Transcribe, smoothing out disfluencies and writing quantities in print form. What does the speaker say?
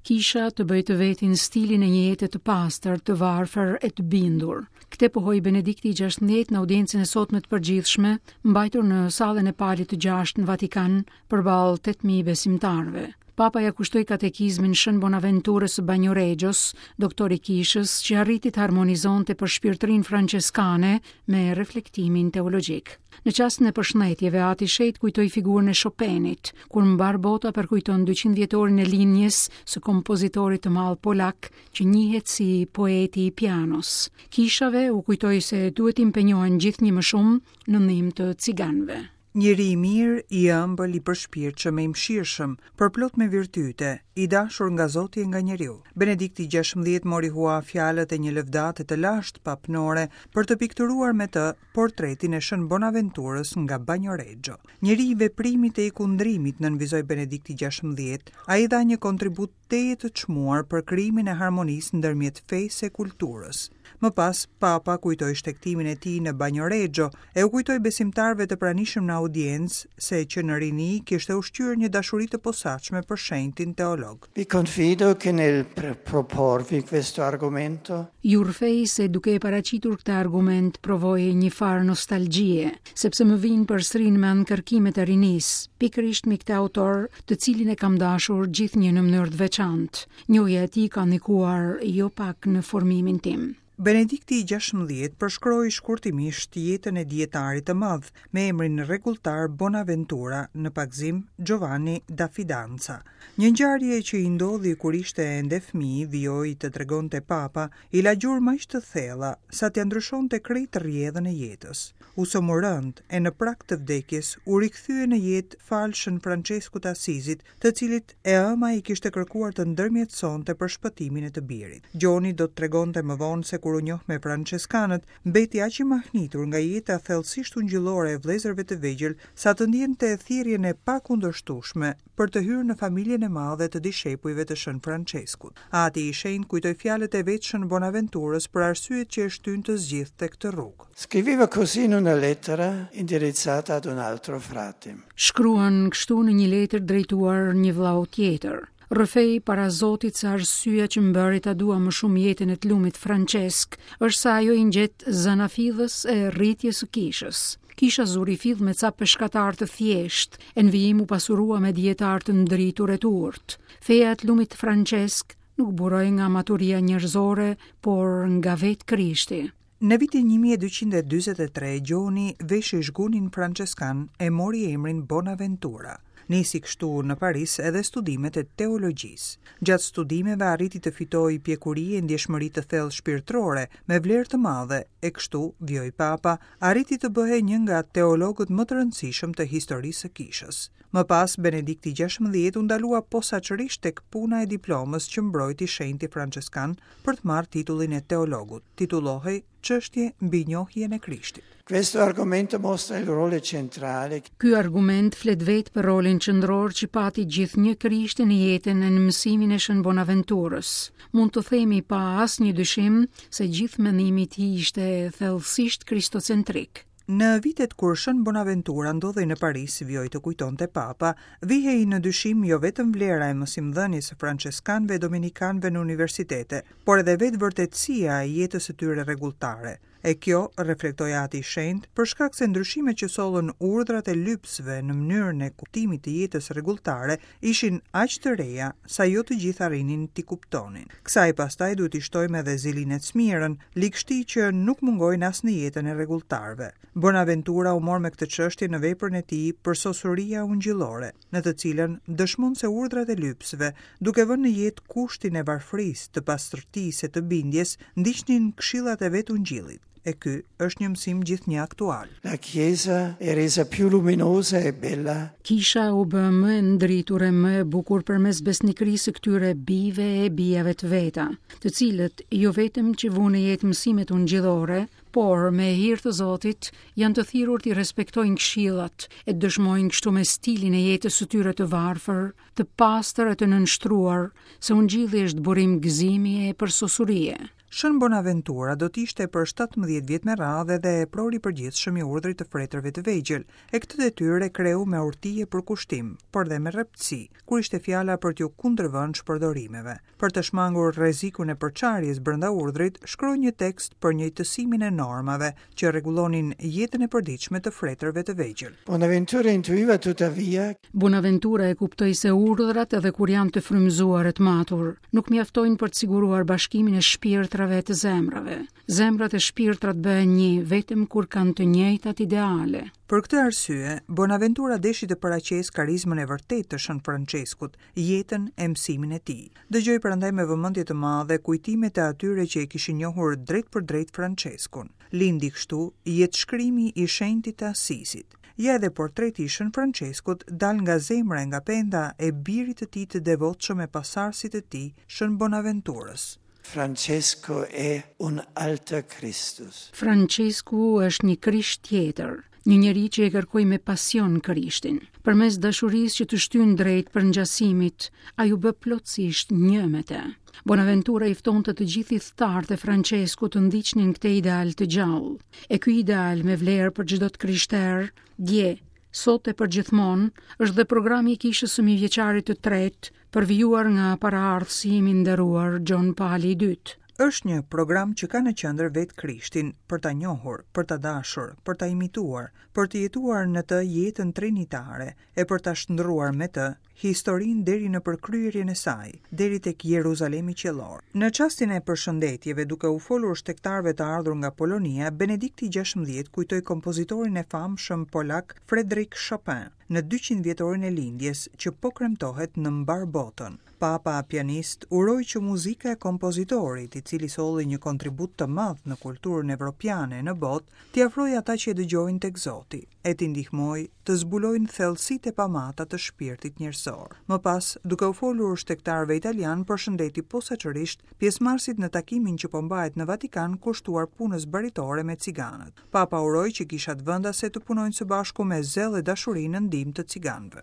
Kisha të bëjë të vetin stilin e një jete të pastër, të varfër e të bindur. Këtë pohoi Benedikti i 16 në audiencën e sotme të përgjithshme, mbajtur në sallën e Palit të Gjashtë në Vatikan, përballë 8000 besimtarëve. Papa ia kushtoi katekizmin Shën Bonaventurës së Bagnoreggios, doktor i kishës, që arriti të harmonizonte përshpirtërinë françeskane me reflektimin teologjik. Në çastin e përshëndetjeve, Ati i Shenjtë kujtoi figurën e Chopinit, kur mbarë bota përkujton 200 vjetorin e lindjes së kompozitorit të madh polak, që njihet si poeti i pianos. Kishave u kujtoi se duhet të impenjohen gjithnjë më shumë në ndihmë të ciganëve. Njeri i mirë, i ëmbël, i përshpirtshëm e i mëshirshëm, përplot me virtyte, i dashur nga Zoti e nga njeriu. Benedikti 16 mori hua fjalët e një lëvdate të lashtë papnore për të pikturuar me të portretin e Shën Bonaventurës nga Bagnoregio. Njeri i veprimit e i kundrimit, nënvizoi Benedikti 16, ai dha një kontribut tejet të çmuar për krijimin e harmonisë ndërmjet fesë e kulturës. Më pas, Papa kujtoi shtegtimin e tij në Bagnoregio e u kujtoi besimtarëve të pranishëm në audiencë se që në rini kishte ushqyer një dashuri të posaçme për shenjtin teolog. Vi confido che nel proporvi questo argomento Ju rrëfej se duke e paraqitur këtë argument provoj një farë nostalgjie, sepse më vijnë përsëri në mend kërkimet e rinisë, pikërisht mbi këtë autor, të cilin e kam dashur gjithnjë në mënyrë të veçantë. Njohja e tij ka ndikuar jo pak në formimin tim. Benedikti i 16 përshkroi shkurtimisht jetën e dijetarit të madh me emrin rregulltar Bonaventura, në pagëzim Giovanni da Fidanza. Një ngjarje që i ndodhi kur ishte ende fëmijë, vijoi të tregonte Papa, i la gjurmë aq të thella, sa t'ia ndryshonte krejt rrjedhën e jetës. U sëmur rëndë, e në prag të vdekjes, u rikthye në jetë falë Shën Françeskut të Asizit, të cilit e ëma i kishte kërkuar të ndërmjetësonte për shpëtimin e të birit. Gjoni do të tregonte më vonë se kur u njoh me françeskanët, mbeti aq i mahnitur nga jeta thellësisht ungjillore e vëllezërve të vegjël, sa të ndiente thirrjen e pakundërshtueshme për të hyrë në familjen e madhe të dishepujve të Shën Françeskut. Ati i Shenjtë kujtoi fjalët e vetë Shën Bonaventurës për arsyet që e shtynë të zgjidhte këtë rrugë. Scriveva così in una lettera indirizzata ad un altro frate. Shkruan kështu në një letër drejtuar një vëllau tjetër. Rrëfej para Zotit se arsyeja që më bëri ta dua më shumë jetën e të lumit Françesk është se ajo i ngjet zanafillës e rritjes së kishës. Kisha zuri fill me ca peshkatarë të thjeshtë, e në vijim u pasurua me dijetarë të ndritur e të urtë. Feja e të lumit Françesk nuk buroi nga maturia njerëzore, por nga vetë Krishti. Në vitin 1243, Gjoni veshi zhgunin françeskan e mori emrin Bonaventura. Nisi kështu në Paris edhe studimet e teologjisë. Gjatë studimeve arriti të fitojë pjekuri e ndjeshmëri të thellë shpirtërore me vlerë të madhe e kështu, vijoi Papa, arriti të bëhej një nga teologët më të rëndësishëm të historisë së kishës. Më pas, Benedikti 16 u ndalua posaçërisht tek puna e diplomës që mbrojti shenjti françeskan për të marrë titullin e teologut. Titullohej Çështje mbi njohjen e Krishtit. Questo argomento mostra il ruolo centrale. Ky argument flet vetë për rolin qendror që pati gjithnjë Krishti në jetën e në mësimin e Shën Bonaventurës. Mund të themi pa asnjë dyshim se gjithë mendimi i tij ishte thellësisht kristocentrik. Në vitet kur Shën Bonaventura ndodhej në Paris, vijoi të kujtonte Papa, vihej në dyshim jo vetëm vlera e mësimdhënies së françeskanëve e dominikanëve në universitete, por edhe vetë vërtetësia e jetës së tyre rregulltare. E kjo, reflektoi Ati i Shenjtë, për shkak se ndryshimet që sollën urdhrat e lypësve në mënyrën e kuptimit të jetës rregulltare ishin aq të reja, sa jo të gjithë arrinin t'i kuptonin. Kësaj pastaj duhet t'i shtojmë edhe zilinë e smirën, ligështi që nuk mungojnë as në jetën e rregulltarëve. Bonaventura u mor me këtë çështje në veprën e tij Përsosuria ungjillore, në të cilën dëshmon se urdhrat e lypësve, duke vënë në jetë kushtin e varfërisë, të pastërtisë e të bindjes, ndiqnin këshillat e vetë ungjillit. E ky është një mësim gjithnjë aktual. La Chiesa è resa più luminosa e bella. Kisha u bë më e ndritur e më e bukur përmes besnikërisë së këtyre bijve e bijave të veta, të cilët jo vetëm që vunë në jetë mësimet ungjillore, por me hir të Zotit janë të thirrur t'i respektojnë këshillat e të dëshmojnë kështu me stilin e jetës së tyre të varfër, të pastër e të nënshtruar, se ungjilli është burim gëzimi e përsosurie. Shën Bonaventura do të ishte për 17 vjet me radhë edhe eprori i përgjithshëm i urdhrit të fretërve të vegjël, e këtë detyrë e kreu me urti e përkushtim, por dhe me rreptësi, kur ishte fjala për t'iu kundërvënë shpërdorimeve. Për të shmangur rrezikun e përçarjes brenda urdhrit, shkroi një tekst për njëjtësimin e normave që rregullonin jetën e përditshme të fretërve të vegjël. Bonaventura intuiva tuttavia Bonaventura e kuptoi se urdhrat edhe kur janë të frymëzuar e të matur, nuk mjaftojnë për të siguruar bashkimin e shpirtrave e të zemrave. Zemrat e shpirtrat bëhen një vetëm kur kanë të njëjtat ideale. Për këtë arsye, Bonaventura deshi të paraqesë karizmën e vërtetë të Shën Françeskut, jetën e mësimin e tij. Dëgjoi prandaj me vëmendje të madhe kujtimet e atyre që e kishin njohur drejtpërdrejt Françeskun. Lindi kështu jetëshkrimi i shenjtit të Asisit. Ja edhe portreti i Shën Françeskut, dalë nga zemra e nga penda e birit të tij të devotshëm e pasardhësit të tij, Shën Bonaventurës. Francesco è un alter Christus. Françesku është një Krisht tjetër, një njeri që e kërkoi me pasion Krishtin. Përmes dashurisë që të shtyn drejt përngjasimit, ai u bë plotësisht një me të. Bonaventura i ftonte të gjithë ithtarët e Françeskut të ndiqnin këtë ideal të gjallë. E ky ideal me vlerë për çdo të krishterë, dje, sot e përgjithmonë, është dhe programi i Kishës së Mijëvjeçarit të tretë, përvijuar nga paraardhësi im i nderuar Gjon Pali i II. Është një program që ka në qendër vetë Krishtin, për ta njohur, për ta dashur, për ta imituar, për të jetuar në të jetën trinitare e për ta shndërruar me të historinë deri në përkryerjen e saj, deri tek Jeruzalemi qiellor. Në çastin e përshëndetjeve, duke u folur shtegtarëve të ardhur nga Polonia, Benedikti XVI kujtoi kompozitorin e famshëm polak Frederic Chopin në 200 vjetorin e lindjes që po kremtohet në mbarë botën. Papa pianist uroi që muzika e kompozitorit, i cili solli një kontribut të madh në kulturën evropiane e në botë, t'i afrojë ata që e dëgjojnë tek Zoti, e t'i ndihmojë të zbulojnë thellësitë e pamata të shpirtit njerëzor. Më pas, duke u folur shtegtarëve italianë, përshëndeti posaçërisht pjesëmarrësit në takimin që po mbahet në Vatikan kushtuar punës baritore me ciganët. Papa uroi që kishat vendase të punojnë së bashku me zell e dashuri në ndihmë të ciganëve.